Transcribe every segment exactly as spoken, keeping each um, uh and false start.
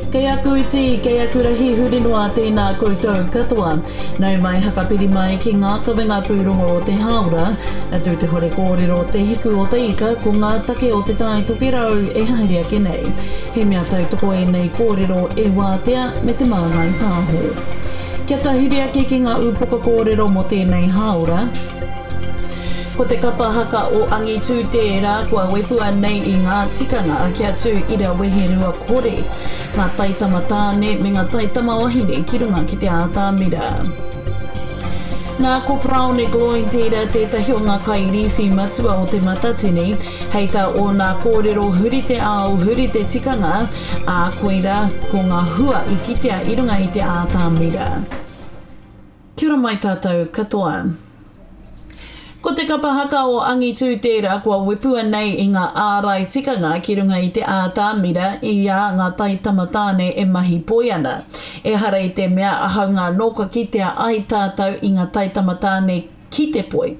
Kei aku iti, kei aku rahi huri noa tēnā koutou katoa. Nau mai hakapiri mai ki ngā kawenga pūrongo o te hāora, atu te hore kōrero te hiku o te ika ko ngā take o te tai tokerau e haere ake nei. He mea tautoko ēnei kōrero e wātea me te māngai pāho. Kia tahuri ake ki ngā ūpoko kōrero mō tēnei hāora, Ko te kapa haka o Angitū tērā kua wepua nei i ngā tikanga kia tū ira weherua kore, ngā taitama tāne me ngā taitama wahine ki runga ki te ātamira. Nā ko Paraone Gloyne tērā tētahi o ngā kairīwhi matua o Te Matatini, hei tā ōna kōrero huri te ao, huri te tikanga, ā koirā ko ngā hua i kitea i runga i te ātamira. Kia ora mai tātou katoa. Ko te kapa haka o Angitū tērā kua wepua nei i ngā ārai tikanga ki runga i te ātamira i a ngā taitama tāne e mahi poi ana. Ehara i te mea haunga anō kua kitea ai tātou i ngā taitama tāne ki te poi.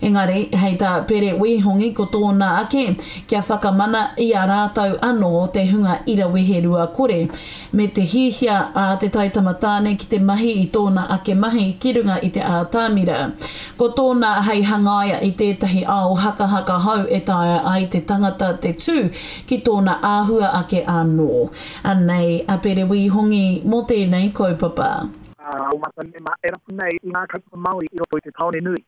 Engari, hei tā Pere Wihongi ko tōna ake, kia whakamana i a rātou anō te hunga ira weherua kore, me te hihia a te taitama tāne ki te mahi i tōna ake mahi ki runga i te ātamira. Ko tōna hei hangaia i tētahi ao hakahaka hou e taea ai te tangata te tū ki tōna āhua ake anō. Anei a Pere Wihongi mō tēnei kaupapa. O mātou mema e rapu nei i ngā kaupapa Māori i roto i te tāone nui.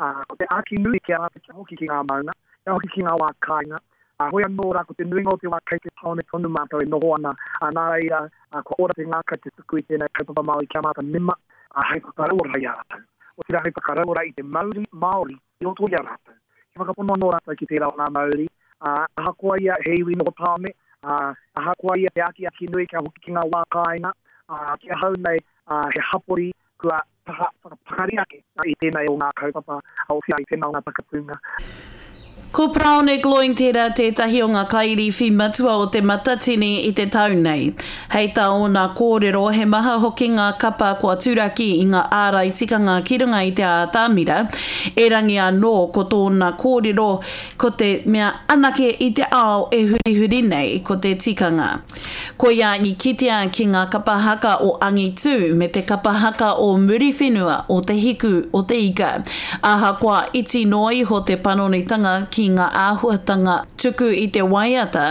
Uh, ko te āki nui ki a rātou kia hoki ki ngā maunga, kia hoki ki ngā wā kāinga. Uh, hoi anō rā, ko te nuinga o te wā kei te tāone tonu mātou e noho ana. Uh, nā reira, uh, kua ora te ngākau te tuku i tēnei kaupapa Māori ki a mātou mema, uh, hei whakarauora i a rātou. Otirā hei whakarauora i te mauri Māori i roto i a rātou. Kia whakapono anō rātou ki tērā o ngā mauri. Uh, ahakoa ia he iwi noho tāone, uh, ahakoa ia te akiaki nui kia hoki ki ngā wā kāinga, uh, ki ahau nei, Uh, he hapori kua taha whakapakari ake i tēnei o ngā kaupapa, otirā i tēnā o ngā takatūnga. Ko Paraone Gloyne tērā tētahi o ngā kairīwhi matua o Te Matatini i te tau nei. Hei tā ōna kōrero, he maha hoki ngā kapa kua turaki i ngā ārai tikanga ki runga i te ātamira. Erangi anō ko tōna kōrero, ko te mea anake i te ao e hurihuri nei ko te tikanga. Koia i kitea ki ngā kapa haka o Angitū me te kapa haka o Muriwhenua o Te Hiku o Te Ika. Ahakoa iti noa iho te panonitanga ki ngā āhuatanga tuku i te waiata,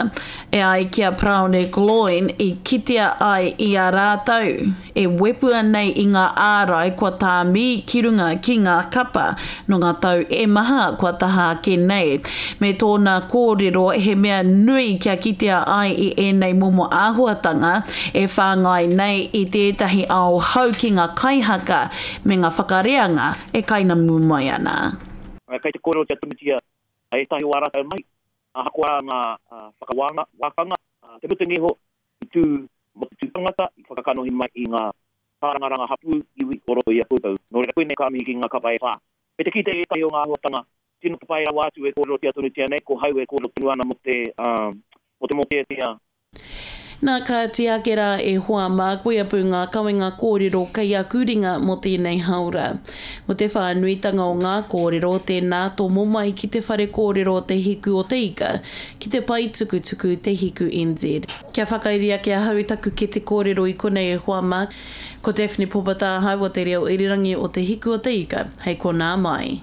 e ai ki a Paraone Gloyne i kitea ai i a rātou e wepua nei i ngā ārai kua tāmī ki runga ki ngā kapa nō ngā tau e maha kua taha ake nei. Me tōna kōrero he mea nui kia kitea ai i ēnei momo āhuatanga e whāngai nei i tētahi ao hou ki ngā kaihaka me ngā whakareanga e kainamu mai ana. Kei te kōrerotia tonutia ētahi o ā rātou mahi, ahakoa ngā whakawānga, wākanga, te mutunga iho i tū mō te tū tangata, i whakakanohi mai i ngā kārangaranga hapū iwi o roto i a koutou. Nō reira koinei ka mihi ki ngā kapa e whā. Me te kite i ētahi o ngā āhuatanga, tino papai rawa atu e kōrerotia tonutia nei, ko hau e kōrero tonu ana mō te, um, mō te mōteatea. Nā kāti ake rā e hoa mā, koia pū ngā kawenga kōrero kei aku ringa mō tēnei hāora. Mō te whānuitanga o ngā kōrero, tēnā tomo mai ki te whare kōrero Te Hiku o Te Ika, ki te pae tukutuku Te Hiku N Z. Kia whakairi ake ahau i taku kete kōrero i konei e hoa mā, ko Daphne Popata ahau o te reo irirangi o Te Hiku o Te Ika, hei konā mai.